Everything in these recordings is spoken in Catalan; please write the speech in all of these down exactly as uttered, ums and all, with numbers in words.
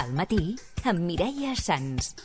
Al matí, amb Mireia Sans.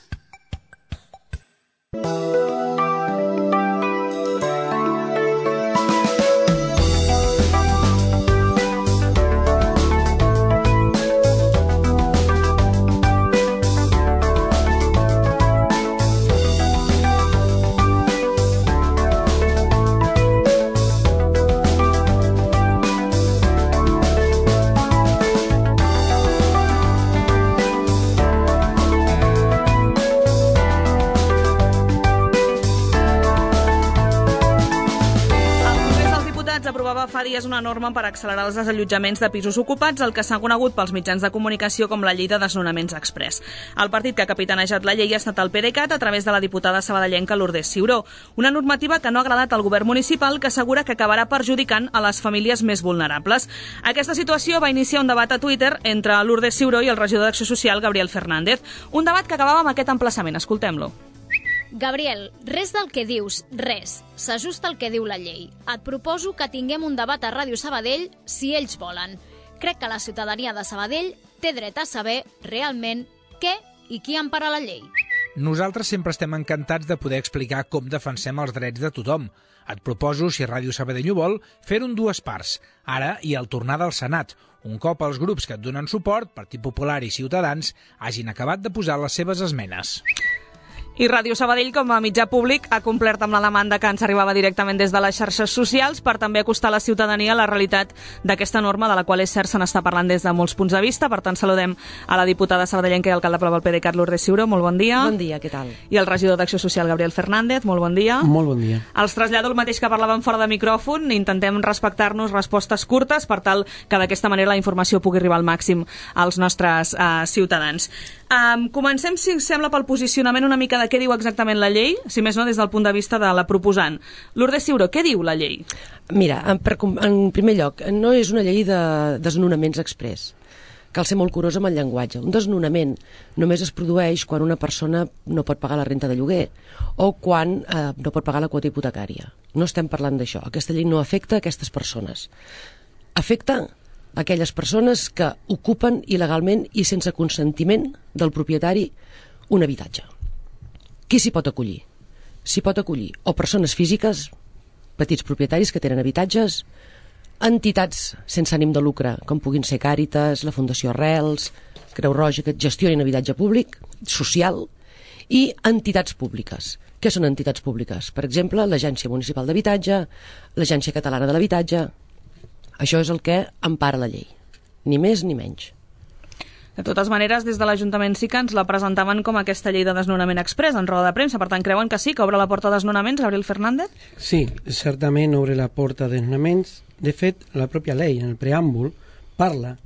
Aprovava fa dies una norma per accelerar els desallotjaments de pisos ocupats, el que s'ha conegut pels mitjans de comunicació com la llei de desnonaments express. El partit que ha capitanejat la llei ha estat el PDeCAT a través de la diputada sabadellenca Lourdes Ciuró. Una normativa que no ha agradat al govern municipal, que assegura que acabarà perjudicant a les famílies més vulnerables. Aquesta situació va iniciar un debat a Twitter entre Lourdes Ciuró i el regidor d'Acció Social, Gabriel Fernández. Un debat que acabava amb aquest emplaçament. Escoltem-lo. Gabriel, res del que dius, res. S'ajusta al que diu la llei. Et proposo que tinguem un debat a Ràdio Sabadell si ells volen. Crec que la ciutadania de Sabadell té dret a saber realment què i qui empara la llei. Nosaltres sempre estem encantats de poder explicar com defensem els drets de tothom. Et proposo, si Ràdio Sabadell ho vol, fer-ho en dues parts, ara i al tornar del Senat, un cop els grups que et donen suport, Partit Popular i Ciutadans, hagin acabat de posar les seves esmenes. I Ràdio Sabadell, com a mitjà públic, ha complert amb la demanda que ens arribava directament des de les xarxes socials per també acostar a la ciutadania la realitat d'aquesta norma, de la qual és cert se n'està parlant des de molts punts de vista. Per tant, saludem a la diputada sabadellenca i alcalde pel PDeCAT, Lourdes Ciuró. Molt bon dia. Bon dia, què tal? I el regidor d'Acció Social, Gabriel Fernández. Molt bon dia. Molt bon dia. Els trasllado el mateix que parlàvem fora de micròfon. Intentem respectar-nos respostes curtes per tal que d'aquesta manera la informació pugui arribar al màxim als nostres uh, ciutadans. Um, comencem, si sembla, pel posicionament una mica de què diu exactament la llei, si més no des del punt de vista de la proposant. Lourdes Ciuró, què diu la llei? Mira, en, per, en primer lloc, no és una llei de desnonaments express. Cal ser molt curós amb el llenguatge. Un desnonament només es produeix quan una persona no pot pagar la renta de lloguer o quan eh, no pot pagar la quota hipotecària. No estem parlant d'això. Aquesta llei no afecta a aquestes persones. Afecta aquelles persones que ocupen il·legalment i sense consentiment del propietari un habitatge. Qui s'hi pot acollir? S'hi pot acollir o persones físiques, petits propietaris que tenen habitatges, entitats sense ànim de lucre, com puguin ser Càritas, la Fundació Arrels, Creu Roja, que gestionen habitatge públic, social, i entitats públiques. Què són entitats públiques? Per exemple, l'Agència Municipal d'Habitatge, l'Agència Catalana de l'Habitatge. Això és el que empara la llei, ni més ni menys. De totes maneres, des de l'Ajuntament sí que ens la presentaven com aquesta llei de desnonament express en roda de premsa. Per tant, creuen que sí, que obre la porta a desnonaments, Gabriel Fernández? Sí, certament obre la porta a desnonaments. De fet, la pròpia llei, en el preàmbul, parla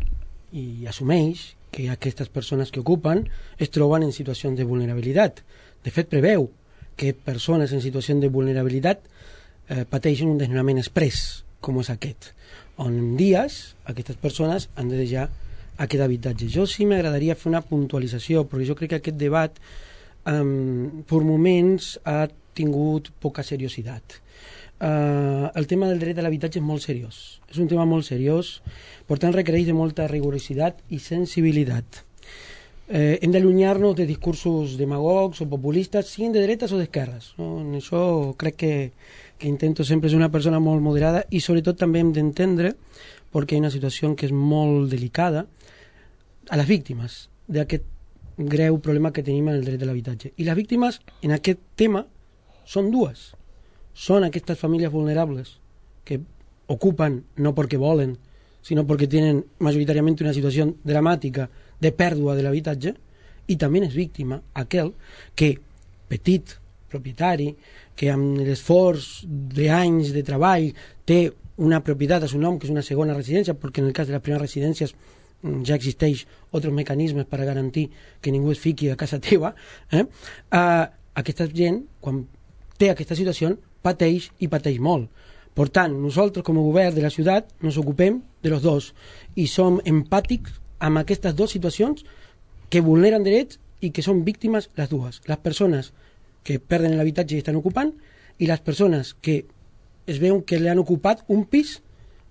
i assumeix que aquestes persones que ocupen es troben en situacions de vulnerabilitat. De fet, preveu que persones en situació de vulnerabilitat eh, pateixen un desnonament express, com és aquest, on en dies aquestes persones han de deixar aquest habitatge. Jo sí m'agradaria fer una puntualització, perquè jo crec que aquest debat um, per moments ha tingut poca seriositat. Uh, el tema del dret a l'habitatge és molt seriós, és un tema molt seriós, per tant requereix de molta rigorositat i sensibilitat. Eh, hem d'allunyar-nos de discursos demagogs o populistes, siguin de dretes o d'esquerres, no? En això crec que, que intento sempre ser una persona molt moderada i sobretot també hem d'entendre, perquè hi ha una situació que és molt delicada, a les víctimes d'aquest greu problema que tenim en el dret a l'habitatge. I les víctimes en aquest tema són dues. Són aquestes famílies vulnerables que ocupen no perquè volen, sinó perquè tenen majoritàriament una situació dramàtica de pèrdua de l'habitatge, i també és víctima aquell que, petit propietari, que amb l'esforç d'anys de treball té una propietat a seu nom, que és una segona residència, perquè en el cas de les primeres residències ja existeix altres mecanismes per a garantir que ningú es fiqui a casa teva, eh? Uh, aquesta gent, quan té aquesta situació, pateix i pateix molt. Per tant, nosaltres com a govern de la ciutat ens ocupem de los dos i som empàtics amb aquestes dues situacions que vulneren drets i que són víctimes les dues. Les persones que perden l'habitatge i estan ocupant i les persones que es veuen que li han ocupat un pis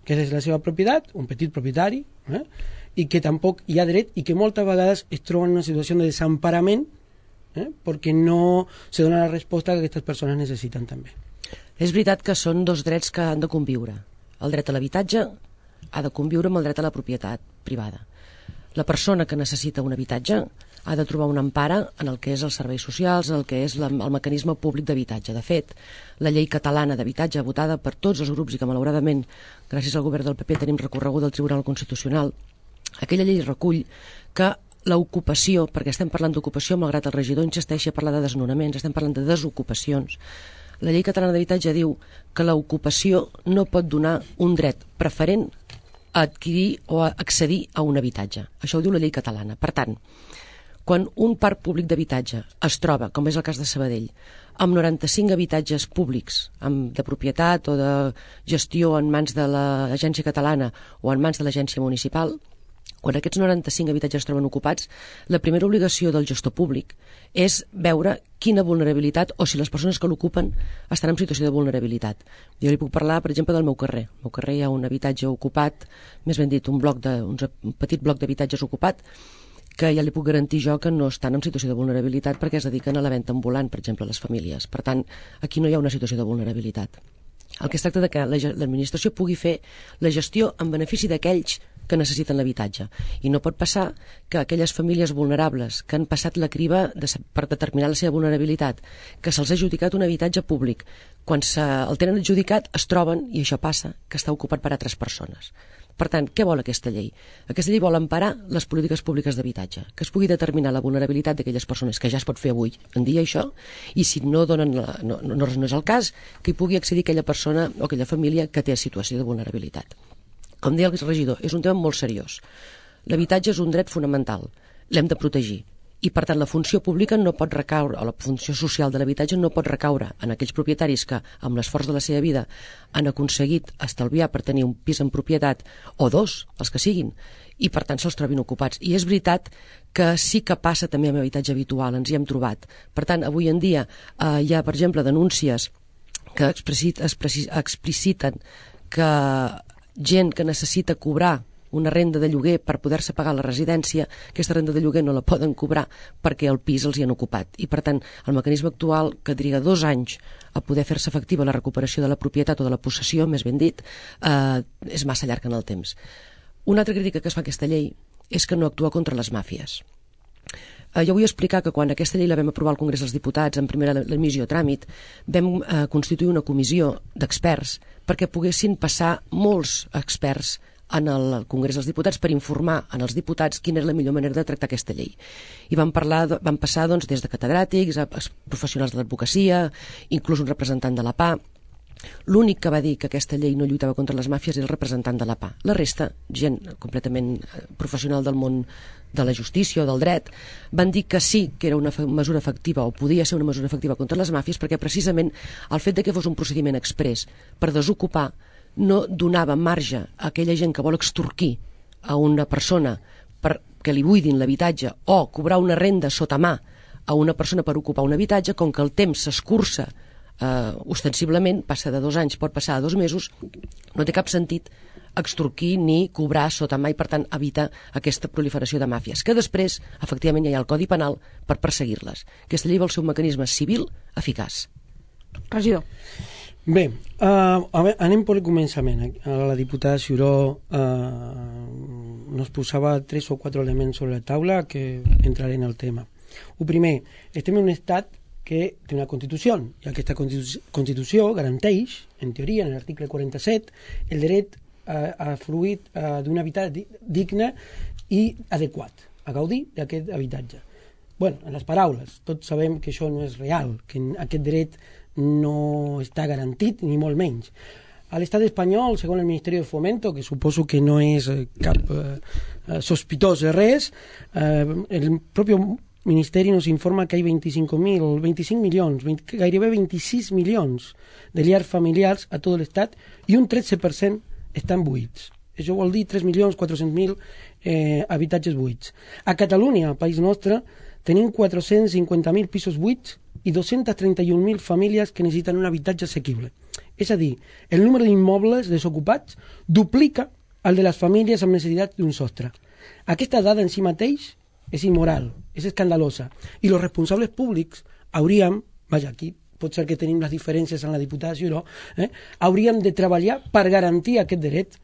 que és la seva propietat, un petit propietari, eh? i que tampoc hi ha dret i que moltes vegades es troben en una situació de desemparament eh, perquè no se dona la resposta que aquestes persones necessiten també. És veritat que són dos drets que han de conviure. El dret a l'habitatge ha de conviure amb el dret a la propietat privada. La persona que necessita un habitatge ha de trobar una empara en el que és els serveis socials, en el que és la, el mecanisme públic d'habitatge. De fet, la llei catalana d'habitatge, votada per tots els grups i que malauradament, gràcies al govern del P P, tenim recorregut al Tribunal Constitucional, aquella llei recull que l'ocupació, perquè estem parlant d'ocupació, malgrat el regidor insisteixi a parlar de desnonaments, estem parlant de desocupacions. La llei catalana d'habitatge diu que l'ocupació no pot donar un dret preferent a adquirir o a accedir a un habitatge. Això ho diu la llei catalana. Per tant, quan un parc públic d'habitatge es troba, com és el cas de Sabadell, amb noranta-cinc habitatges públics amb, de propietat o de gestió en mans de l'agència catalana o en mans de l'agència municipal, quan aquests noranta-cinc habitatges es troben ocupats, la primera obligació del gestor públic és veure quina vulnerabilitat o si les persones que l'ocupen estan en situació de vulnerabilitat. Jo li puc parlar, per exemple, del meu carrer. Al meu carrer hi ha un habitatge ocupat, més ben dit, un, bloc de, un petit bloc d'habitatges ocupat, que ja li puc garantir jo que no estan en situació de vulnerabilitat perquè es dediquen a la venda ambulant, per exemple, a les famílies. Per tant, aquí no hi ha una situació de vulnerabilitat. El que es tracta de que l'administració pugui fer la gestió en benefici d'aquells que necessiten l'habitatge. I no pot passar que aquelles famílies vulnerables que han passat la criba de, per determinar la seva vulnerabilitat, que se'ls ha adjudicat un habitatge públic, quan se, el tenen adjudicat es troben, i això passa, que està ocupat per altres persones. Per tant, què vol aquesta llei? Aquesta llei vol emparar les polítiques públiques d'habitatge, que es pugui determinar la vulnerabilitat d'aquelles persones, que ja es pot fer avui en dia això, i si no donen la, no, no, no és el cas, que hi pugui accedir aquella persona o aquella família que té situació de vulnerabilitat. Com deia el regidor, és un tema molt seriós. L'habitatge és un dret fonamental, l'hem de protegir. I, per tant, la funció pública no pot recaure, o la funció social de l'habitatge no pot recaure en aquells propietaris que, amb l'esforç de la seva vida, han aconseguit estalviar per tenir un pis en propietat, o dos, els que siguin, i, per tant, se'ls trobin ocupats. I és veritat que sí que passa també amb habitatge habitual, ens hi hem trobat. Per tant, avui en dia eh, hi ha, per exemple, denúncies que expliciten que gent que necessita cobrar una renda de lloguer per poder-se pagar la residència, aquesta renda de lloguer no la poden cobrar perquè el pis els hi han ocupat. I, per tant, el mecanisme actual, que triga dos anys a poder fer-se efectiva la recuperació de la propietat o de la possessió, més ben dit, eh, és massa llarg en el temps. Una altra crítica que es fa a aquesta llei és que no actua contra les màfies. Eh, jo vull explicar que quan aquesta llei la vam aprovar al Congrés dels Diputats en primera l'emissió a tràmit, vam eh, constituir una comissió d'experts perquè poguessin passar molts experts en el Congrés dels Diputats per informar en els diputats quina és la millor manera de tractar aquesta llei. I vam, parlar, vam passar doncs, des de catedràtics a professionals de l'advocacia, inclús un representant de la P A. L'únic que va dir que aquesta llei no lluitava contra les màfies era el representant de la P A. La resta, gent completament professional del món de la justícia o del dret, van dir que sí que era una mesura efectiva o podia ser una mesura efectiva contra les màfies perquè precisament el fet de que fos un procediment exprés per desocupar no donava marge a aquella gent que vol extorquir a una persona perquè li buidin l'habitatge o cobrar una renda sota mà a una persona per ocupar un habitatge, com que el temps s'escurça eh, ostensiblement, passa de dos anys, pot passar a dos mesos, no té cap sentit extorquir ni cobrar sota mà i, per tant, evitar aquesta proliferació de màfies, que després, efectivament, hi ha el Codi Penal per perseguir-les. Aquesta llei vol ser un mecanisme civil eficaç. Regidor. Bé, uh, a veure, anem per el començament. La diputada Ciuró uh, nos posava tres o quatre elements sobre la taula que entraré en el tema. El primer, estem en un estat que té una Constitució, i aquesta Constitució garanteix, en teoria, en l'article quaranta-set, el dret a, a fruir uh, d'un habitatge digne i adequat, a gaudir d'aquest habitatge. Bueno, en les paraules, tots sabem que això no és real, que aquest dret no està garantit, ni molt menys. A l'estat espanyol, segons el Ministeri de Fomento, que suposo que no és cap eh, sospitós de res, eh, el propi Ministeri nos informa que hi ha vint-i-cinc mil, vint-i-cinc milions, veinte, gairebé vint-i-sis milions de llars familiars a tot l'estat i un tretze per cent estan buits. Això vol dir tres milions quatre-cents mil eh, habitatges buits. A Catalunya, al país nostre, tenim quatre-cents cinquanta mil pisos buits i dos-cents trenta i un mil famílies que necessiten un habitatge assequible. És a dir, el número d'immobles desocupats duplica el de les famílies amb necessitat d'un sostre. Aquesta dada en si mateix és immoral, és escandalosa, i els responsables públics hauríem, vaja, aquí pot ser que tenim les diferències en la diputada Ciuró, eh, hauríem de treballar per garantir aquest dret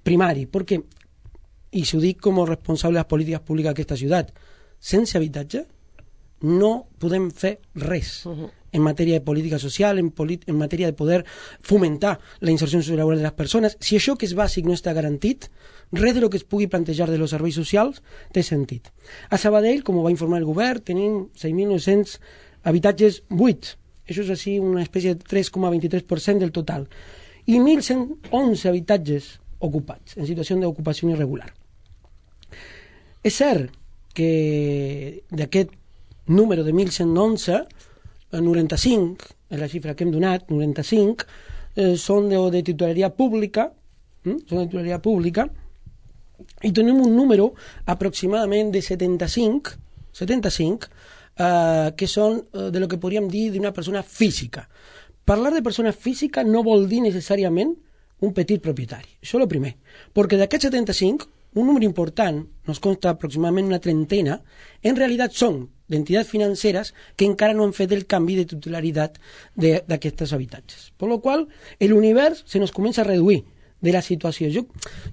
primari, perquè, i s'ho dic com a responsable de les polítiques públiques d'aquesta ciutat, sense habitatge no podem fer res uh -huh. en matèria de política social, en, en matèria de poder fomentar la inserció laboral de les persones. Si això que és bàsic no està garantit, res de lo que es pugui plantejar de los serveis socials té sentit. A Sabadell, com ho va informar el govern, tenim seis mil nou-cents habitatges buits. Això és així una espècie de tres coma vint-i-tres per cent del total. I mil cent onze habitatges ocupats, en situació d'ocupació irregular. És cert que d'aquest número de mil cent onze, noranta-cinc, és la xifra que hem donat, noranta-cinc, eh, són de, de titularitat pública, hm? són de titularitat pública, i tenim un número aproximadament de setanta-cinc, setanta-cinc, eh, que són eh, de lo que podríem dir d'una persona física. Parlar de persona física no vol dir necessàriament un petit propietari. Això és el primer. Perquè d'aquests setanta-cinc, un número important, nos consta aproximadament una trentena, en realitat són d'entitats financeres que encara no han fet el canvi de titularitat d'aquests habitatges. Per la qual l'univers se nos comença a reduir de la situació. Jo,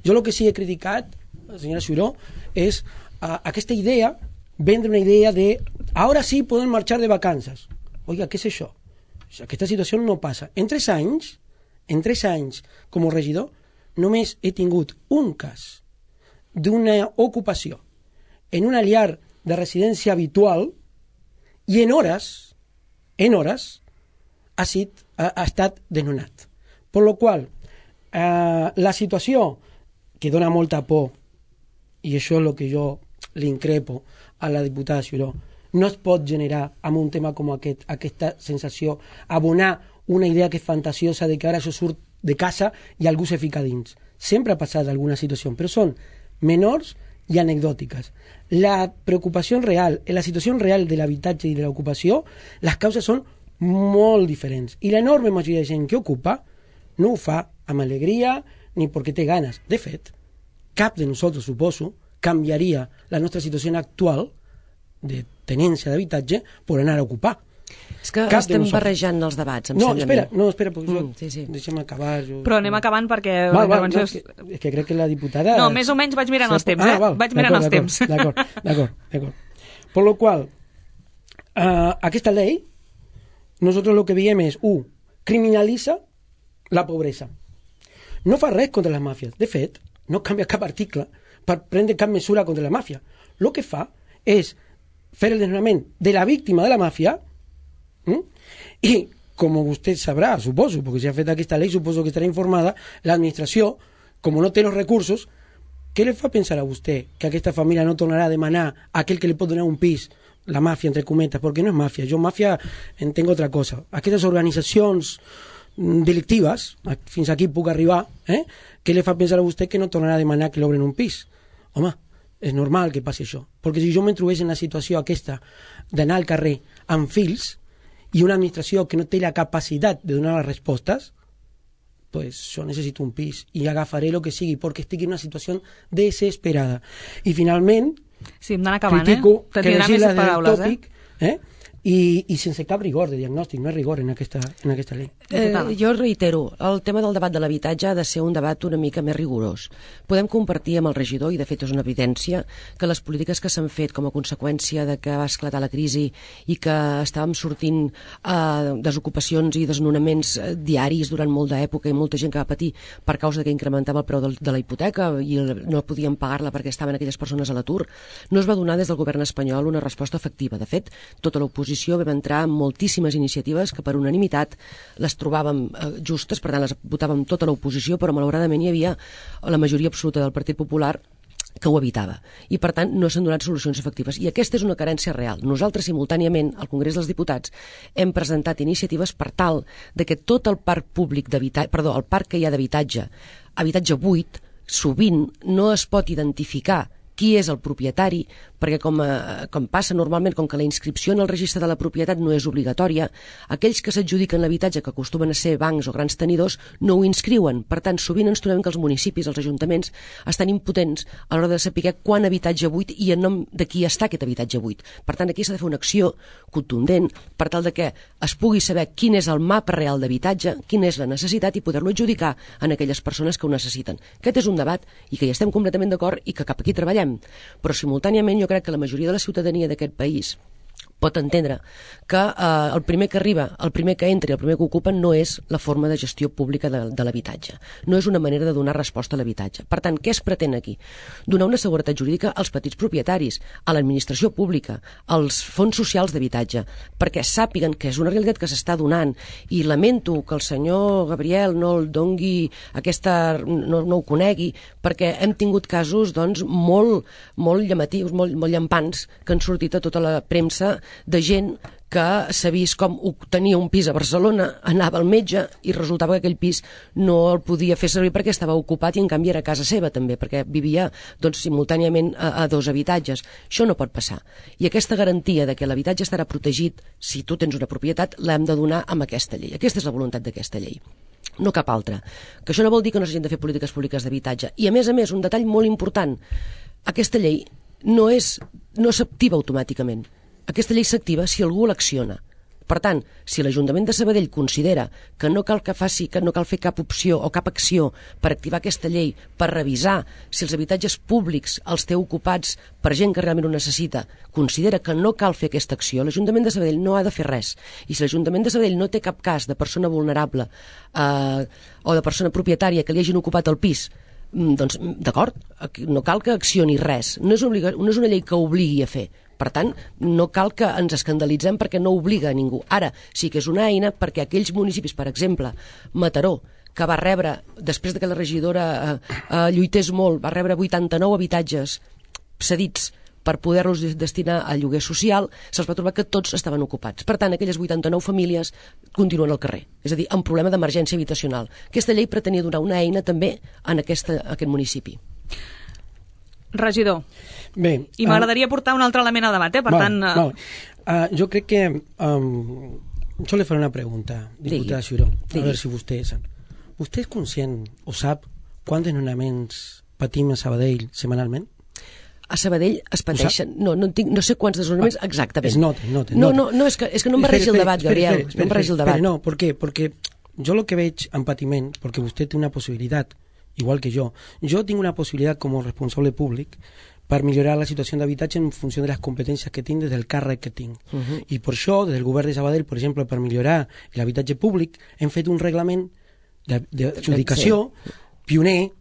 jo el que sí he criticat, senyora Ciuró, és uh, aquesta idea, vendre una idea de ara sí poden marxar de vacances. Oiga, què és això? Aquesta situació no passa. En tres anys, en tres anys com a regidor, només he tingut un cas d'una ocupació en una llar de residència habitual i en hores, en hores, ha, sit, ha, ha estat desnonat. Per la qual eh, la situació que dona molta por, i això és el que jo li increpo a la diputada Ciuró, no es pot generar amb un tema com aquest, aquesta sensació, abonar una idea que és fantasiosa de que ara això surt de casa i algú se fica dins. Sempre ha passat alguna situació, però són menors i anecdòtiques. La preocupació real, en la situació real de l'habitatge i de l'ocupació, les causes són molt diferents. I l'enorme majoria de gent que ocupa no ho fa amb alegria ni perquè té ganes. De fet, cap de nosaltres, suposo, canviaria la nostra situació actual de tenència d'habitatge per anar a ocupar. És que cap estem barrejant els debats, em no, sembla espera, a mi. No, espera, perquè mm, sí, sí. deixa'm acabar. Jo... Però anem acabant perquè... Val, val, no, és, que, és que crec que la diputada... No, més o menys vaig mirant els temps, eh? Ah, val, vaig mirant els temps. D'acord, d'acord, d'acord. Per lo qual, uh, aquesta llei, nosotros lo que veiem és, u, criminalitza la pobresa. No fa res contra les màfies. De fet, no canvia cap article per prendre cap mesura contra la màfia. Lo que fa és fer el desnonament de la víctima de la màfia. ¿Mm? I, com vostè sabrà, suposo, perquè si ha fet aquesta llei, suposo que estarà informada, l'administració, com no té els recursos, què li fa pensar a vostè que aquesta família no tornarà a demanar a aquell que li pot donar un pis, la màfia, entre cometes, perquè no és màfia, jo màfia entenc altra cosa. Aquestes organitzacions delictives, fins aquí puc arribar, eh? Què li fa pensar a vostè que no tornarà a demanar que l'obren un pis? Home, és normal que passi això, perquè si jo me trobés en la situació aquesta d'anar al carrer amb fills, i una administració que no té la capacitat de donar les respostes, pues jo necessito un pis i agafaré el que sigui perquè estic en una situació desesperada. I finalment, sí, em acabant, critico eh? que legisla del tòpic, eh? eh? I, i sense cap rigor de diagnòstic, no és rigor en aquesta, en aquesta llei. Eh, jo reitero, el tema del debat de l'habitatge ha de ser un debat una mica més rigorós. Podem compartir amb el regidor, i de fet és una evidència, que les polítiques que s'han fet com a conseqüència de que va esclatar la crisi i que estàvem sortint eh, desocupacions i desnonaments diaris durant molt d'època i molta gent que va patir per causa que incrementava el preu de, de la hipoteca i no podien pagar-la perquè estaven aquelles persones a l'atur, no es va donar des del govern espanyol una resposta efectiva. De fet, tota l'oposició vam entrar en moltíssimes iniciatives que per unanimitat les trobàvem eh, justes, per tant les votàvem tota l'oposició, però malauradament hi havia la majoria absoluta del Partit Popular que ho evitava. I per tant no s'han donat solucions efectives. I aquesta és una carència real. Nosaltres simultàniament al Congrés dels Diputats hem presentat iniciatives per tal de que tot el parc públic d'habitatge, perdó, el parc que hi ha d'habitatge, habitatge buit, sovint no es pot identificar qui és el propietari perquè com, eh, com passa normalment, com que la inscripció en el registre de la propietat no és obligatòria, aquells que s'adjudiquen l'habitatge, que acostumen a ser bancs o grans tenidors, no ho inscriuen. Per tant, sovint ens trobem que els municipis, els ajuntaments, estan impotents a l'hora de saber quan habitatge buit i en nom de qui està aquest habitatge buit. Per tant, aquí s'ha de fer una acció contundent per tal de que es pugui saber quin és el mapa real d'habitatge, quina és la necessitat i poder-lo adjudicar en aquelles persones que ho necessiten. Aquest és un debat i que hi estem completament d'acord i que cap aquí treballem. Però simultàniament jo crec que la majoria de la ciutadania d'aquest país pot entendre que eh, el primer que arriba, el primer que entra i el primer que ocupa no és la forma de gestió pública de, de l'habitatge. No és una manera de donar resposta a l'habitatge. Per tant, què es pretén aquí? Donar una seguretat jurídica als petits propietaris, a l'administració pública, als fons socials d'habitatge, perquè sàpiguen que és una realitat que s'està donant i lamento que el senyor Gabriel no el dongui aquesta, no, no ho conegui, perquè hem tingut casos doncs, molt, molt llamatius, molt, molt llampants, que han sortit a tota la premsa de gent que s'ha vist com tenia un pis a Barcelona, anava al metge i resultava que aquell pis no el podia fer servir perquè estava ocupat i en canvi era casa seva també, perquè vivia doncs, simultàniament a, a dos habitatges. Això no pot passar. I aquesta garantia de que l'habitatge estarà protegit si tu tens una propietat l'hem de donar amb aquesta llei. Aquesta és la voluntat d'aquesta llei. No cap altra. Que això no vol dir que no s'hagin de fer polítiques públiques d'habitatge. I a més a més, un detall molt important, aquesta llei no és, no s'activa automàticament. Aquesta llei s'activa si algú l'acciona. Per tant, si l'Ajuntament de Sabadell considera que no cal que faci, que no cal fer cap opció o cap acció per activar aquesta llei, per revisar si els habitatges públics els té ocupats per gent que realment ho necessita, considera que no cal fer aquesta acció, l'Ajuntament de Sabadell no ha de fer res. I si l'Ajuntament de Sabadell no té cap cas de persona vulnerable eh, o de persona propietària que li hagin ocupat el pis, doncs d'acord, no cal que accioni res. No és, obliga, no és una llei que obligui a fer. Per tant, no cal que ens escandalitzem perquè no obliga a ningú. Ara, sí que és una eina perquè aquells municipis, per exemple, Mataró, que va rebre, després que la regidora eh, eh, lluités molt, va rebre vuitanta-nou habitatges cedits per poder-los destinar a lloguer social, se'ls va trobar que tots estaven ocupats. Per tant, aquelles vuitanta-nou famílies continuen al carrer, és a dir, amb problema d'emergència habitacional. Aquesta llei pretenia donar una eina també en aquesta, aquest municipi. Regidor, bé, i m'agradaria uh, portar un altre element a debat, eh? Per vale, tant... Uh... Vale. Uh, jo crec que... Um, jo li faré una pregunta, diputada Ciuró, a veure si vostè sap. Vostè és conscient o sap quants desnonaments patim a Sabadell setmanalment? A Sabadell es pateixen... No, no, tinc, no sé quants desnonaments ah, exactament. Es nota, nota. No, no, no, és que, és que no em barregi el debat, Gabriel. Espera, espera, no em barregi el debat. Espera, no, ¿por qué? Porque yo lo que veig en patiment, porque usted té una possibilitat, igual que jo, jo tinc una possibilitat com a responsable públic per millorar la situació d'habitatge en funció de les competències que tinc des del càrrec que tinc. Uh -huh. I per això, des del govern de Sabadell, per exemple, per millorar l'habitatge públic, hem fet un reglament d'adjudicació sí. pioner,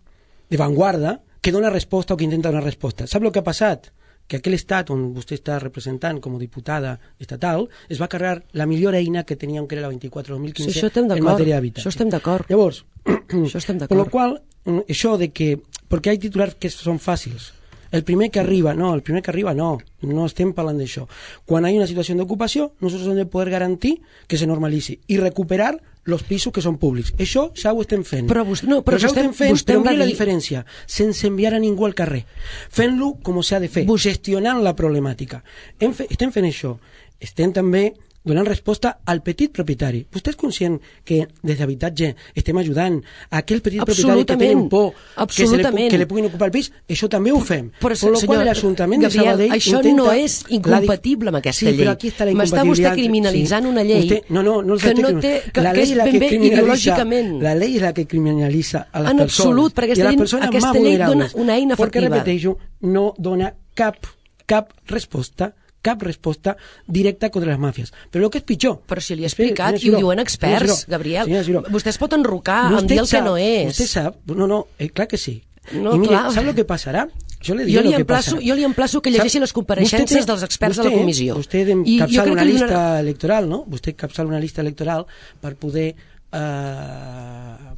de vanguarda, que dona resposta o que intenta donar resposta. Sap el que ha passat? Que aquell estat on vostè està representant com a diputada estatal es va carregar la millor eina que teníem, que era la vint-i-quatre dos mil quinze, sí, en matèria d'habitatge. Això estem d'acord. Llavors, això estem d'acord. Per lo qual, això de que... Perquè hi ha titulars que són fàcils. El primer que arriba, no, el primer que arriba no, no estem parlant d'això. Quan hi ha una situació d'ocupació, nosaltres hem de poder garantir que se normalitzi i recuperar els pisos que són públics. Això ja ho estem fent. Però, vostè, no, però, però ja ho estem fent, vostè però mira dir... la diferència, sense enviar a ningú al carrer. Fent-lo com s'ha de fer, vostè... gestionant la problemàtica. Hem fe... Estem fent això. Estem també donant resposta al petit propietari. Vostè és conscient que des d'habitatge estem ajudant a aquell petit propietari que tenen por que, se li, que li puguin ocupar el pis? Això també ho fem. Però, per lo qual l'Ajuntament de Sabadell això intenta... no és incompatible amb aquesta sí, llei. Però aquí està la m'està vostè criminalitzant sí. una llei usted, no, no, no que, no té, que, la que és ben bé ideològicament. La llei és la que criminalitza a les en persones. absolut, perquè aquesta, llei, aquesta llei dona una eina efectiva. Perquè, repeteixo, no dona cap, cap resposta cap resposta directa contra les màfies. Però el que és pitjor... Però si li he explicat, i ho diuen experts, Gabriel. Vostè es pot enrocar amb dir el que no és. Vostè sap... No, no, eh, clar que sí. No, I mire, clar. sap el que passarà? Jo li, jo li, que emplaço, jo li emplaço que llegeixi les compareixences dels experts vostè, de la comissió. Vostè capçala una llista donarà... electoral, no? Vostè capçala una llista electoral per poder eh,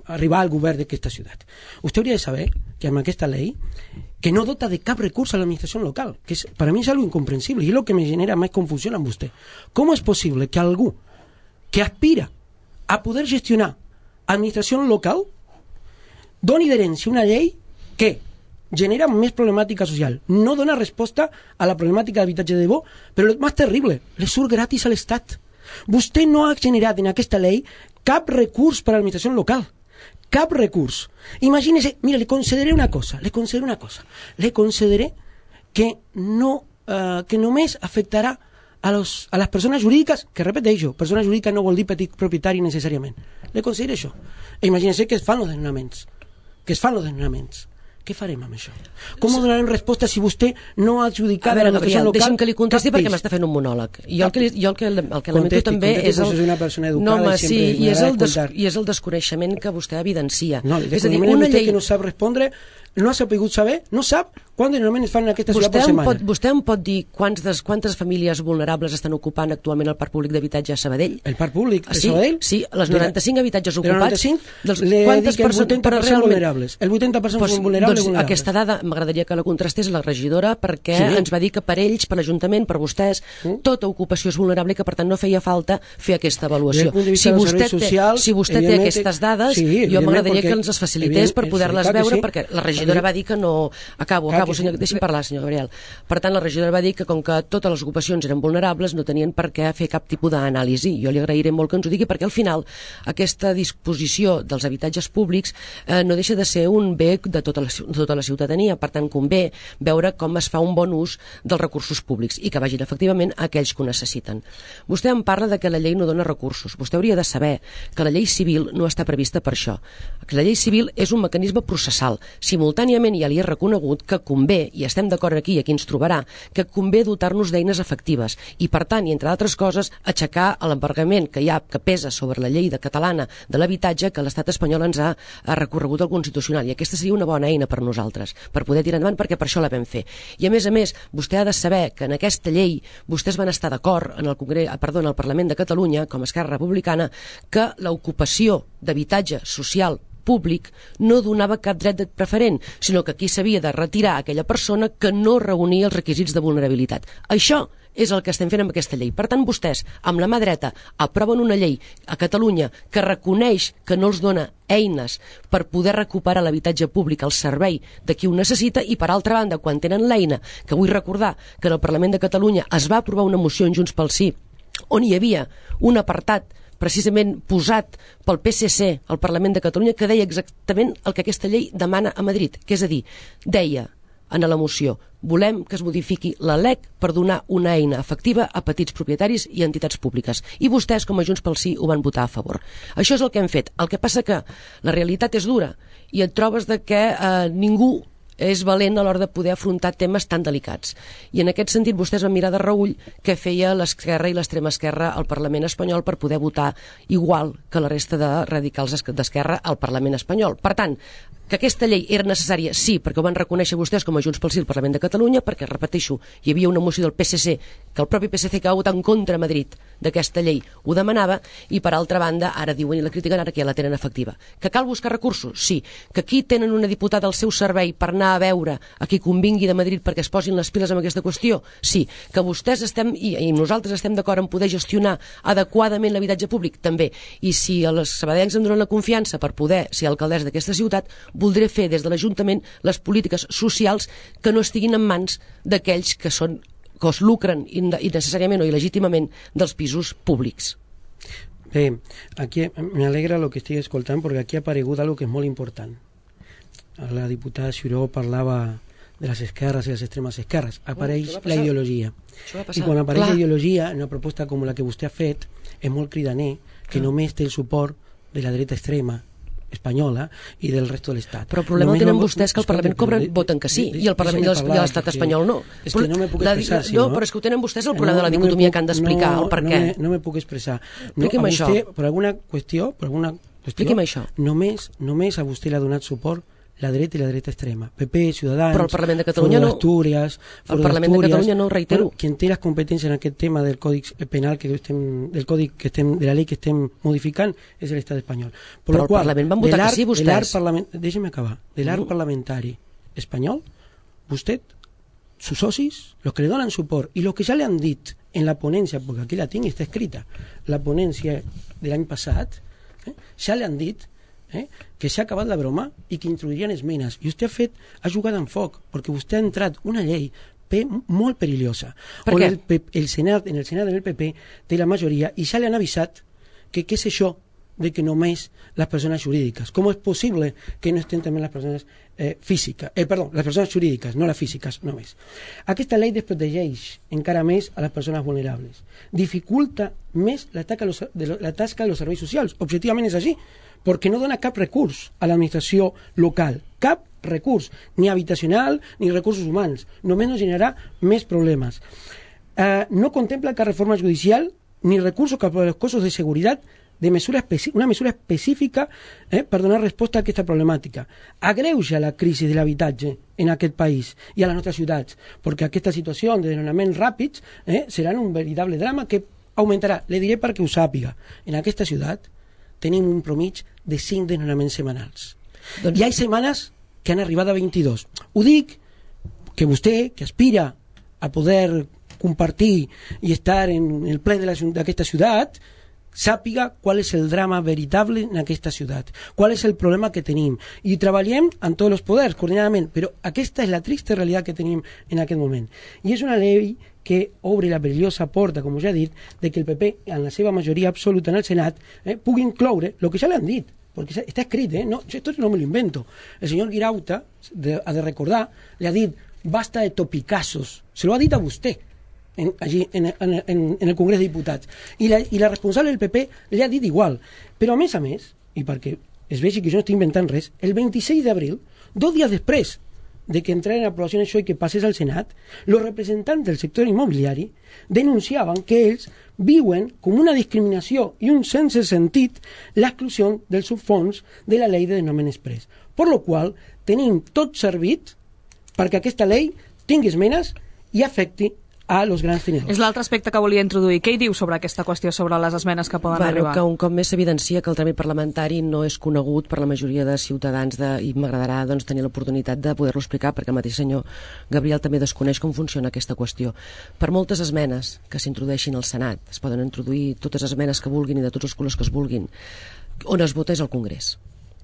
arribar al govern d'aquesta ciutat. Vostè hauria de saber que amb aquesta llei que no dota de cap recurs a l'administració local, que és, per a mi és algo incomprensible i és el que me genera més confusió amb vostè. Com és possible que algú que aspira a poder gestionar administració local doni d'herència una llei que genera més problemàtica social, no dona resposta a la problemàtica d'habitatge de bo, però el més terrible, le surt gratis a l'Estat. Vostè no ha generat en aquesta llei cap recurs per a l'administració local, cap recurs. Imagínese, mira, le concederé una cosa, le concederé una cosa, le concederé que no, uh, que només afectarà a, los, a les persones jurídiques, que repeteixo, persona jurídica no vol dir petit propietari necessàriament. Le considero això. E imagínense que es fan els desnonaments. Que es fan els desnonaments. Què farem amb això? Com donarem resposta si vostè no ha adjudicat a veure, a l'administració local? Deixi'm que li contesti perquè m'està fent un monòleg. Jo el que, jo el que, el que lamento també és el... una persona educada no, home, i sí, sempre i és el, des, escoltar. i és el desconeixement que vostè evidencia. No, el és a dir, desconeixement una és vostè llei... que no sap respondre, no ha sapigut saber, no sap quants desnonaments es fan en aquesta ciutat per setmana. Pot, vostè em pot dir quants des, quantes famílies vulnerables estan ocupant actualment el parc públic d'habitatge a Sabadell? El parc públic de sí, Sabadell? Sí, les noranta-cinc habitatges ocupats. noranta-cinc, dels, le quantes dic que el persones, vuitanta per cent realment... vulnerables. El vuitanta per cent pues, són vulnerables, doncs, vulnerables. Aquesta dada m'agradaria que la contrastés la regidora perquè sí. ens va dir que per ells, per l'Ajuntament, per vostès, mm. tota ocupació és vulnerable i que per tant no feia falta fer aquesta avaluació. Si vostè, social, té, si vostè té aquestes dades, sí, jo m'agradaria que ens les facilités per poder-les veure, sí. perquè la regidora va dir que no... Acabo, acabo, senyor, deixi'm parlar, senyor Gabriel. Per tant, la regidora va dir que com que totes les ocupacions eren vulnerables no tenien per què fer cap tipus d'anàlisi. Jo li agrairé molt que ens ho digui perquè al final aquesta disposició dels habitatges públics eh, no deixa de ser un bé de tota la, de tota la ciutadania. Per tant, convé veure com es fa un bon ús dels recursos públics i que vagin efectivament a aquells que ho necessiten. Vostè em parla de que la llei no dona recursos. Vostè hauria de saber que la llei civil no està prevista per això. Que la llei civil és un mecanisme processal. Simultàniament ja li he reconegut que convé, i estem d'acord aquí, aquí ens trobarà, que convé dotar-nos d'eines efectives i, per tant, i entre altres coses, aixecar l'embargament que hi ha, que pesa sobre la llei de catalana de l'habitatge que l'estat espanyol ens ha, ha recorregut al Constitucional. I aquesta seria una bona eina per nosaltres, per poder tirar endavant, perquè per això la vam fer. I, a més a més, vostè ha de saber que en aquesta llei vostès van estar d'acord en el Congrés, perdó, en el Parlament de Catalunya, com a Esquerra Republicana, que l'ocupació d'habitatge social públic no donava cap dret preferent, sinó que aquí s'havia de retirar aquella persona que no reunia els requisits de vulnerabilitat. Això és el que estem fent amb aquesta llei. Per tant, vostès, amb la mà dreta, aproven una llei a Catalunya que reconeix que no els dona eines per poder recuperar l'habitatge públic al servei de qui ho necessita i, per altra banda, quan tenen l'eina, que vull recordar que en el Parlament de Catalunya es va aprovar una moció en Junts pel Sí on hi havia un apartat precisament posat pel P S C al Parlament de Catalunya que deia exactament el que aquesta llei demana a Madrid, que és a dir, deia en la moció, volem que es modifiqui la L E C per donar una eina efectiva a petits propietaris i entitats públiques. I vostès, com a Junts pel Sí, ho van votar a favor. Això és el que hem fet. El que passa que la realitat és dura i et trobes de que eh, ningú és valent a l'hora de poder afrontar temes tan delicats. I en aquest sentit vostès van mirar de reüll què feia l'esquerra i l'extrema esquerra al Parlament espanyol per poder votar igual que la resta de radicals d'esquerra al Parlament espanyol. Per tant, que aquesta llei era necessària, sí, perquè ho van reconèixer vostès com a Junts pel Sí al Parlament de Catalunya, perquè, repeteixo, hi havia una moció del P S C, que el propi P S C que va votar en contra a Madrid d'aquesta llei ho demanava, i per altra banda, ara diuen i la critiquen ara que ja la tenen efectiva. Que cal buscar recursos? Sí. Que aquí tenen una diputada al seu servei per anar a veure a qui convingui de Madrid perquè es posin les piles amb aquesta qüestió? Sí. Que vostès estem, i, i nosaltres estem d'acord en poder gestionar adequadament l'habitatge públic? També. I si els sabadellencs em donen la confiança per poder ser alcaldessa d'aquesta ciutat, voldré fer des de l'Ajuntament les polítiques socials que no estiguin en mans d'aquells que són que es lucren innecessàriament o il·legítimament dels pisos públics. Bé, aquí m'alegra el que estic escoltant perquè aquí ha aparegut algo que és molt important. La diputada Xiró parlava de les esquerres i les extremes esquerres. Apareix la ideologia. I quan apareix la ideologia, en una proposta com la que vostè ha fet, és molt cridaner que només té el suport de la dreta extrema espanyola i del resto de l'Estat. Però el problema tenen vostès que el Parlament cobren, voten que sí, i el Parlament i l'Estat espanyol no. És que no me puc expressar, no, però és que ho tenen vostès el problema de la dicotomia que han d'explicar, el per què. No me puc expressar. Expliqui'm això. Per alguna qüestió, per alguna qüestió, expliqui'm això. Només, només a vostè l'ha donat suport la dreta i la dreta extrema. P P, Ciutadans, però el Parlament de Catalunya no. Astúries, el Parlament de Catalunya no, ho reitero. Bueno, quien té les competències en aquest tema del Codi Penal que estem, del Codi que estem, de la llei que estem modificant és l'Estat espanyol. Per però el qual, Parlament van votar que sí, vostès. Deixa'm acabar. De l'arc mm. parlamentari espanyol, vostè, sus socis, los que le donan suport i los que ja le han dit en la ponència, perquè aquí la tinc i està escrita, la ponència de l'any passat, eh, ja le han dit eh, que s'ha acabat la broma i que introduirien esmenes. I vostè ha fet, ha jugat en foc, perquè vostè ha entrat una llei P molt perillosa. Per què? El, el Senat, en el Senat del P P té la majoria i ja li han avisat que què és això de que només les persones jurídiques. Com és possible que no estén també les persones eh, físiques, eh, perdó, les persones jurídiques, no les físiques només. Aquesta llei desprotegeix encara més a les persones vulnerables. Dificulta més la tasca de los, de lo, la tasca de los serveis socials. Objectivament és així, perquè no dona cap recurs a l'administració local. Cap recurs, ni habitacional ni recursos humans. Només nos generarà més problemes. Eh, no contempla cap reforma judicial ni recursos cap a los costos de seguridad de mesura una mesura específica eh, per donar resposta a aquesta problemàtica. Agreuja la crisi de l'habitatge en aquest país i a les nostres ciutats, perquè aquesta situació de desnonaments ràpids eh, serà un veritable drama que augmentarà. Le diré perquè ho sàpiga. En aquesta ciutat tenim un promig de cinc desnonaments setmanals. Doncs... Hi ha setmanes que han arribat a vint-i-dos. Ho dic que vostè, que aspira a poder compartir i estar en el ple d'aquesta ciutat, sàpiga qual és el drama veritable en aquesta ciutat, qual és el problema que tenim, i treballem amb tots els poders coordinadament, però aquesta és la trista realitat que tenim en aquest moment. I és una llei que obre la perillosa porta, com ja he dit, de que el P P, en la seva majoria absoluta en el Senat, eh, pugui incloure el que ja l'han dit, perquè està escrit, eh? No, esto no me lo invento. El senyor Guirauta, de, ha de recordar, le ha dit, basta de topicazos, se lo ha dit a vostè, En, allí en, en, en, en el Congrés de Diputats, i la, i la responsable del P P li ha dit igual, però a més a més, i perquè es vegi que jo no estic inventant res, el vint-i-sis d'abril, dos dies després de que entrara en aprovació això i que passés al Senat, els representants del sector immobiliari denunciaven que ells viuen com una discriminació i un sense sentit l'exclusió del subfons de la llei de desnonament express, per lo qual tenim tot servit perquè aquesta llei tingui esmenes i afecti a los grans tenidors. És l'altre aspecte que volia introduir. Què hi diu sobre aquesta qüestió, sobre les esmenes que poden bueno, arribar? Que un cop més s'evidencia que el tràmit parlamentari no és conegut per la majoria de ciutadans de, i m'agradarà doncs, tenir l'oportunitat de poder-lo explicar perquè el mateix senyor Gabriel també desconeix com funciona aquesta qüestió. Per moltes esmenes que s'introdueixin al Senat, es poden introduir totes les esmenes que vulguin i de tots els colors que es vulguin, on es vota és al Congrés.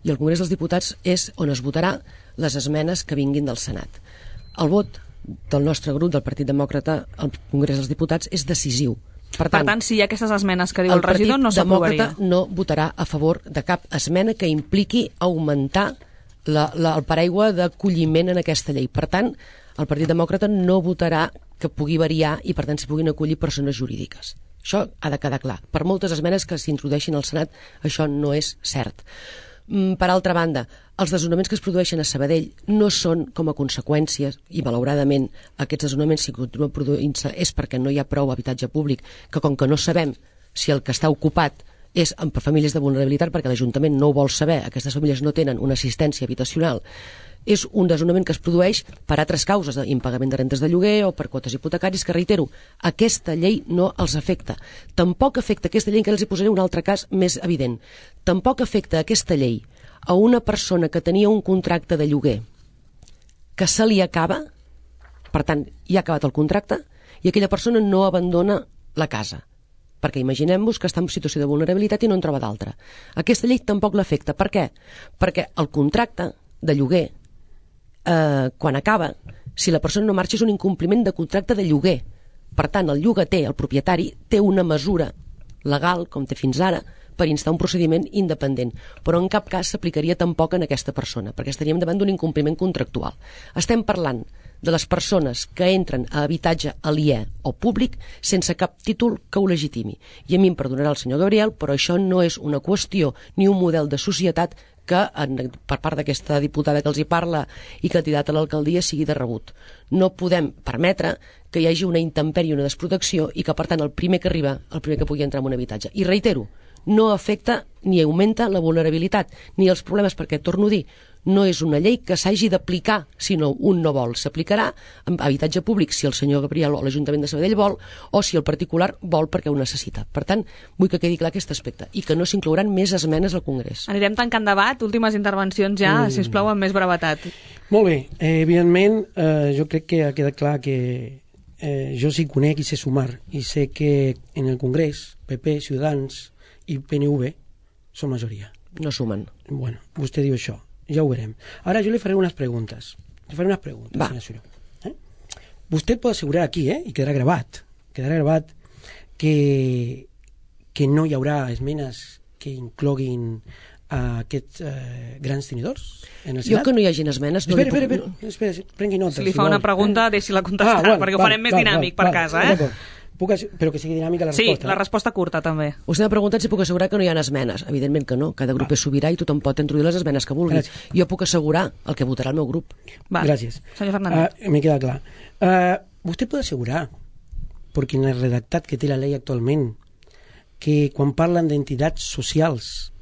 I el Congrés dels Diputats és on es votarà les esmenes que vinguin del Senat. El vot del nostre grup, del Partit Demòcrata, al Congrés dels Diputats, és decisiu. Per tant, per tant si hi ha aquestes esmenes que diu el, el regidor, no s'aprovaria. El Partit Demòcrata no votarà a favor de cap esmena que impliqui augmentar la, la, el paraigua d'acolliment en aquesta llei. Per tant, el Partit Demòcrata no votarà que pugui variar i, per tant, s'hi puguin acollir persones jurídiques. Això ha de quedar clar. Per moltes esmenes que s'introdueixin al Senat, això no és cert. Per altra banda, els desnonaments que es produeixen a Sabadell no són com a conseqüències, i malauradament aquests desnonaments si continuen produint-se és perquè no hi ha prou habitatge públic, que com que no sabem si el que està ocupat és per famílies de vulnerabilitat, perquè l'Ajuntament no ho vol saber, aquestes famílies no tenen una assistència habitacional, és un desnonament que es produeix per altres causes, d'impagament de rentes de lloguer o per quotes hipotecaris, que reitero, aquesta llei no els afecta. Tampoc afecta aquesta llei, que els hi posaré un altre cas més evident. Tampoc afecta aquesta llei a una persona que tenia un contracte de lloguer que se li acaba, per tant, ja ha acabat el contracte, i aquella persona no abandona la casa. Perquè imaginem-vos que està en situació de vulnerabilitat i no en troba d'altra. Aquesta llei tampoc l'afecta. Per què? Perquè el contracte de lloguer, eh, quan acaba, si la persona no marxa, és un incompliment de contracte de lloguer. Per tant, el llogater, el propietari, té una mesura legal, com té fins ara, per instar un procediment independent, però en cap cas s'aplicaria tampoc en aquesta persona, perquè estaríem davant d'un incompliment contractual. Estem parlant de les persones que entren a habitatge aliè o públic sense cap títol que ho legitimi. I a mi em perdonarà el senyor Gabriel, però això no és una qüestió ni un model de societat que en, per part d'aquesta diputada que els hi parla i candidata a l'alcaldia sigui de rebut. No podem permetre que hi hagi una intempèrie, una desprotecció i que, per tant, el primer que arriba, el primer que pugui entrar en un habitatge. I reitero, no afecta ni augmenta la vulnerabilitat ni els problemes, perquè, torno a dir, no és una llei que s'hagi d'aplicar si no un no vol. S'aplicarà en habitatge públic si el senyor Gabriel o l'Ajuntament de Sabadell vol, o si el particular vol perquè ho necessita. Per tant, vull que quedi clar aquest aspecte i que no s'inclouran més esmenes al Congrés. Anirem tancant debat, últimes intervencions ja, mm. si us plau, amb més brevetat. Molt bé, eh, evidentment eh, jo crec que ha quedat clar que eh, jo sí conec i sé sumar, i sé que en el Congrés P P, Ciutadans i P N V són majoria. no sumen. Bueno, vostè diu això, ja ho veurem. Ara jo li faré unes preguntes. Le faré unes preguntes, Va. senyor Suró. Eh? Vostè pot assegurar aquí, eh, i quedarà gravat, quedarà gravat que, que no hi haurà esmenes que incloguin a aquests eh, grans tenidors en el Senat? Jo que no hi hagin esmenes... No espera, puc... espera, espera, espera, espera, prengui notes. Si li fa vol. una pregunta, deixi-la contestar, Ah, bueno, perquè ho val, farem més val, dinàmic val, per val, casa, eh? d'acord. Puc, ass- però que sigui dinàmica la Sí, resposta. la resposta curta, també. Vostè m'ha preguntat si puc assegurar que no hi ha esmenes. Evidentment que no. Cada grup Va. és sobirà i tothom pot introduir les esmenes que vulgui. Gràcies. Jo puc assegurar el que votarà el meu grup. Va. Gràcies. Senyor Fernández. Uh, me queda clar. Uh, vostè pot assegurar, perquè en el redactat que té la llei actualment, que quan parlen d'entitats socials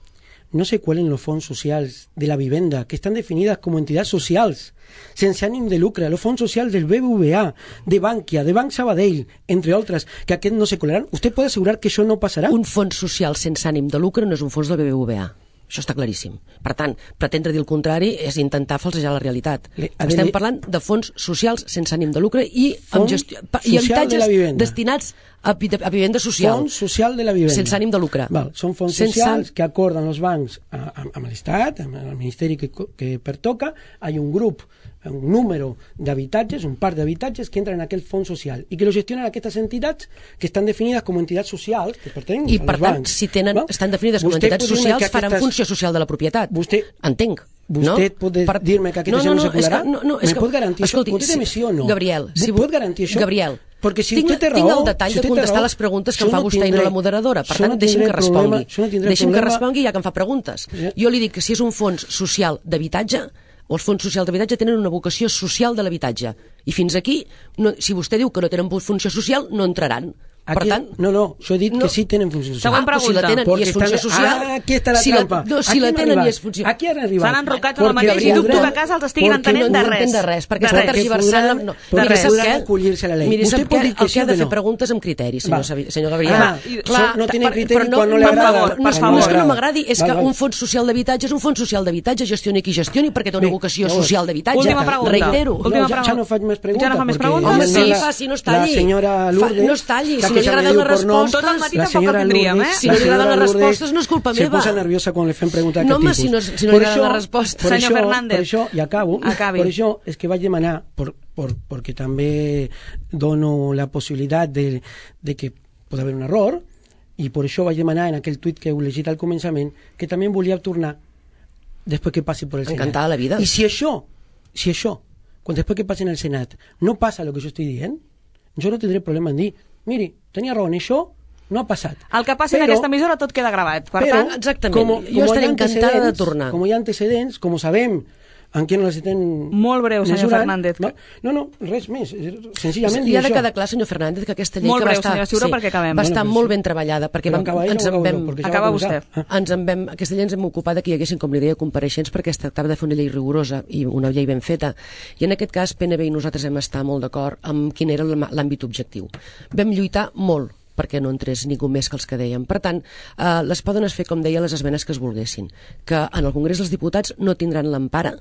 no se cuelen los fondos sociales de la vivienda, que están definidas como entidades sociales, sense ànim de lucre, los fondos sociales del B B V A, de Bankia, de Banc Sabadell, entre otras, que aquests no se colaran. ¿Usted puede asegurar que això no passarà? Un fons social sense ànim de lucre no és un fons del B B V A. Això està claríssim. Per tant, pretendre dir el contrari és intentar falsejar la realitat. Le- Estem le- parlant de fons socials sense ànim de lucre i, amb Fons gestió, pa- i social de la habitatges vivenda. destinats a, vi- a vivenda social. Fons social de la vivienda. Sense ànim de lucre. Val, són fons Sense socials ànim- que acorden els bancs a- a- amb l'Estat, amb el Ministeri que, co- que pertoca. Hay un grup, un número d'habitatges, un parc d'habitatges que entren en aquell fons social i que lo gestionen aquestes entitats que estan definides com entitats socials que pertanyen I, als per tant, bancs. si tenen, Val? estan definides com a Vostè entitats pot dir-me socials, que faran aquestes- funció social de la propietat. Vostè- Entenc. Vostè no? pot dir-me que aquesta gent no se és colarà? que, no, no, és Me que, pot garantir això? escolti, Conteste-me sí o no. Gabriel, si Pot garantir això? Gabriel, Perquè si tinc, vostè té tinc raó, el detall si de vostè té contestar raó, les preguntes que jo em fa no vostè i tindré- no la moderadora. Per jo tant, no deixi'm tindré que respongui. problema- jo no tindré Deixi'm que problema- respongui ja que em fa preguntes. Ja. Jo li dic que si és un fons social d'habitatge, o els fons socials d'habitatge tenen una vocació social de l'habitatge. I fins aquí, no, si vostè diu que no tenen funció social, no entraran. Per Aquí, tant, no, no, jo he dit no. que sí tenen funció social. Següent Ah, però si la pregunta. tenen i Porque és funció están- social... Ah, aquí está la si trampa. La, no, si Aquí la han tenen arribat. i és funció... Aquí han arribat. S'han enrocat en el Porque mateix i dubto podran- que a casa els estiguin porque entenent no de res. entenc de res, perquè De està res. tergiversant... podran- No, porque miri, sap podran què? acollir-se a la ley. Miri, Usted sap pot què? dir que El sí que ha o de que fer no. preguntes amb criteri, senyor, Va. Sabi- senyor Gabriel. Ah, i- clar, no tiene per- criteri però quan no le per agrada. favor, no, Per és- favor. no és que no m'agradi, és Val, que val. un fons social d'habitatge és un fons social d'habitatge, gestioni qui gestioni, perquè té una Bé, vocació llavors, social d'habitatge. última pregunta. Reitero. Última no, ja, ja pregunta. no faig més preguntes. Ja no fa més perquè preguntes? Home, la- sí, la- faci, no es talli. La senyora Lourdes... Fa- no es talli, que si no li se me agraden diu les por nom, respostes- Tot el matí la tampoc senyora el tindríem, Lourdes- eh? Si no li la senyora agraden les Lourdes respostes, no és culpa se meva. posa nerviosa quan li fem preguntar No, d'aquest home, tipus. si no- si no Per li agraden això- les respostes. per Senyor això- Fernández. Per això, i acabo, Acabi. per això és que vaig demanar, per, per, perquè també dono la possibilitat de, de que pot haver un error, i per això vaig demanar en aquell tuit que heu llegit al començament que també em volia tornar després que passi per el Senat. Encantada la vida. I si això, si això, quan després que passi en el Senat, no passa el que jo estic dient, jo no tindré problema en dir, miri, tenia raó en això, no ha passat. El que passi en Però- aquesta emissora tot queda gravat. Per però, tant, exactament. com, Jo com estaré hi ha encantada de antecedents- tornar. Com hi ha antecedents, com ho sabem, en què no les estem Molt breu, senyor mesurant, Fernández. No, no, no, res més. Senzillament Hi ha dir de això. quedar clar, senyor Fernández, que aquesta llei Molt que va breu, estar, senyora Ciuró, perquè acabem. va estar Bueno, però molt sí. ben treballada, perquè Però vam, acaba ella ens o en acabo vam, jo? Perquè ja Acaba va començar. vostè. Ah. ens en vam, aquesta llei ens hem ocupat que hi haguessin, com li deia, compareixents, perquè es tractava de fer una llei rigorosa i una llei ben feta. I en aquest cas, P N B i nosaltres hem estat molt d'acord amb quin era l'am- l'àmbit objectiu. Vam lluitar molt perquè no entrés ningú més que els que dèiem. Per tant, eh, les poden fer, com deia, les esmenes que es volguessin. Que en el Congrés dels Diputats no tindran l'empara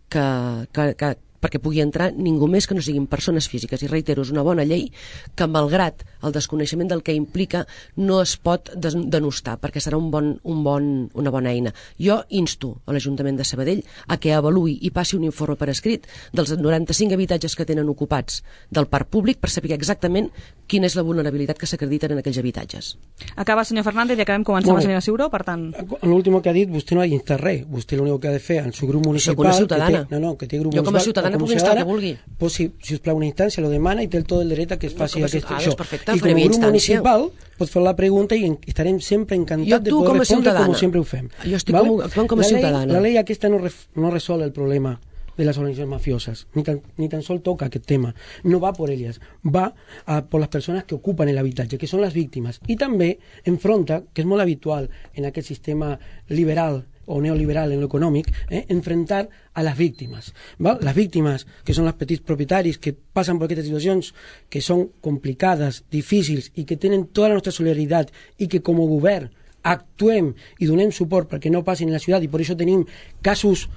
que, que, que, perquè pugui entrar ningú més que no siguin persones físiques. I reitero, és una bona llei que, malgrat el desconeixement del que implica, no es pot des denostar, perquè serà un bon, un bon, una bona eina. Jo insto a l'Ajuntament de Sabadell a que avaluï i passi un informe per escrit dels noranta-cinc habitatges que tenen ocupats del parc públic per saber exactament quina és la vulnerabilitat que s'acrediten en aquells habitatges. acaba senyor Fernández i acabem començant Molt la bé. senyora Ciuró, per tant... L'últim que ha dit, vostè no ha d'instar res. Vostè l'únic que ha de fer en su grup municipal... Soc una ciutadana. Que té, no, no, que té grup Jo com a municipal, ciutadana o com puc instar el que ciutadana, vulgui. Pues si, si us plau una instància, lo demana i té el tot el dret a que es No, faci com a aquest, ciutadana, això. doncs perfecte, I com faré a via grup instància. municipal pot fer la pregunta i en- estarem sempre Jo encantats de actuo poder com a respondre ciutadana. com sempre ho fem. Jo estic com- actuant com a la llei, ciutadana. La llei aquesta no, ref, no resol el problema de las organizaciones mafiosas, ni tan, ni tan sol toca aquest tema, no va por ellas, va a, por las personas que ocupan el habitatge, que són les víctimes, i també enfronta, que és molt habitual en aquest sistema liberal o neoliberal en lo econòmic, eh, enfrentar a les víctimes. ¿Val? Les víctimes, que són els petits propietaris que passen per aquestes situacions que són complicades, difícils i que tenen tota la nostra solidaritat i que com a govern actuem i donem suport perquè no passin en la ciutat i per això tenim casos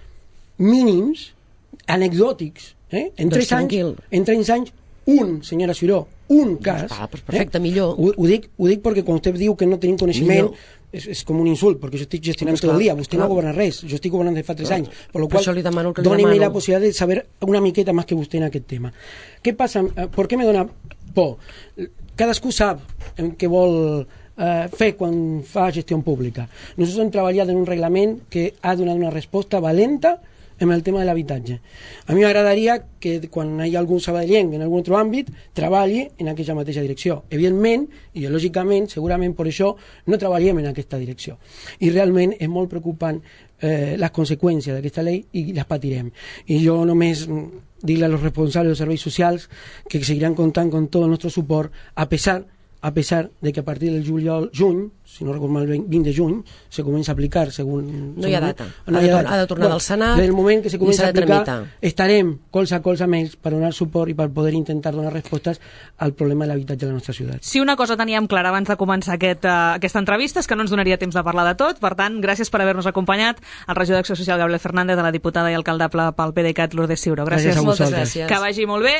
mínims, anecdòtics, eh? en, Doncs tres anys, tranquil. en tres anys, un, senyora Ciuró, un cas. va, doncs perfecte, millor. Ho, ho, dic, ho dic perquè quan vostè diu que no tenim coneixement, Millor. és, és com un insult, perquè jo estic gestionant Pues tot el clar, dia, vostè clar. no governa res, jo estic governant de fa tres Clar. anys, per lo Per qual això li demano el que li dóneme demano. la possibilitat de saber una miqueta més que vostè en aquest tema. Què passa? Per què me dona por? Cadascú sap en què vol eh, fer quan fa gestió pública. Nosaltres hem treballat en un reglament que ha donat una resposta valenta en el tema de l'habitatge. A mi m'agradaria que quan hi ha algun sabadellenc en algun altre àmbit treballi en aquesta mateixa direcció. Evidentment, ideològicament, segurament per això no treballem en aquesta direcció. I realment és molt preocupant eh, les conseqüències d'aquesta llei i les patirem. I jo només dir-li als responsables dels serveis socials que seguiran comptant con tot el nostre suport a pesar a pesar de que a partir del juliol, juny, si no recordo mal, vint de juny, se comença a aplicar según... No hi ha según, data. No ha, hi de, ha tor data. ha de tornar Bueno, del Senat del moment que se i comença s'ha a de aplicar, tramitar. estarem colze a colze amb ells per donar suport i per poder intentar donar respostes al problema de l'habitatge de la nostra ciutat. Si una cosa teníem clara abans de començar aquest, uh, aquesta entrevista és que no ens donaria temps de parlar de tot, per tant, gràcies per haver-nos acompanyat, el regidor d'Acció Social Gabriel Fernández, a la diputada i alcaldable pel PDeCAT Lourdes Ciuró. Gràcies. Gràcies a Moltes vosaltres. gràcies. Que vagi molt bé.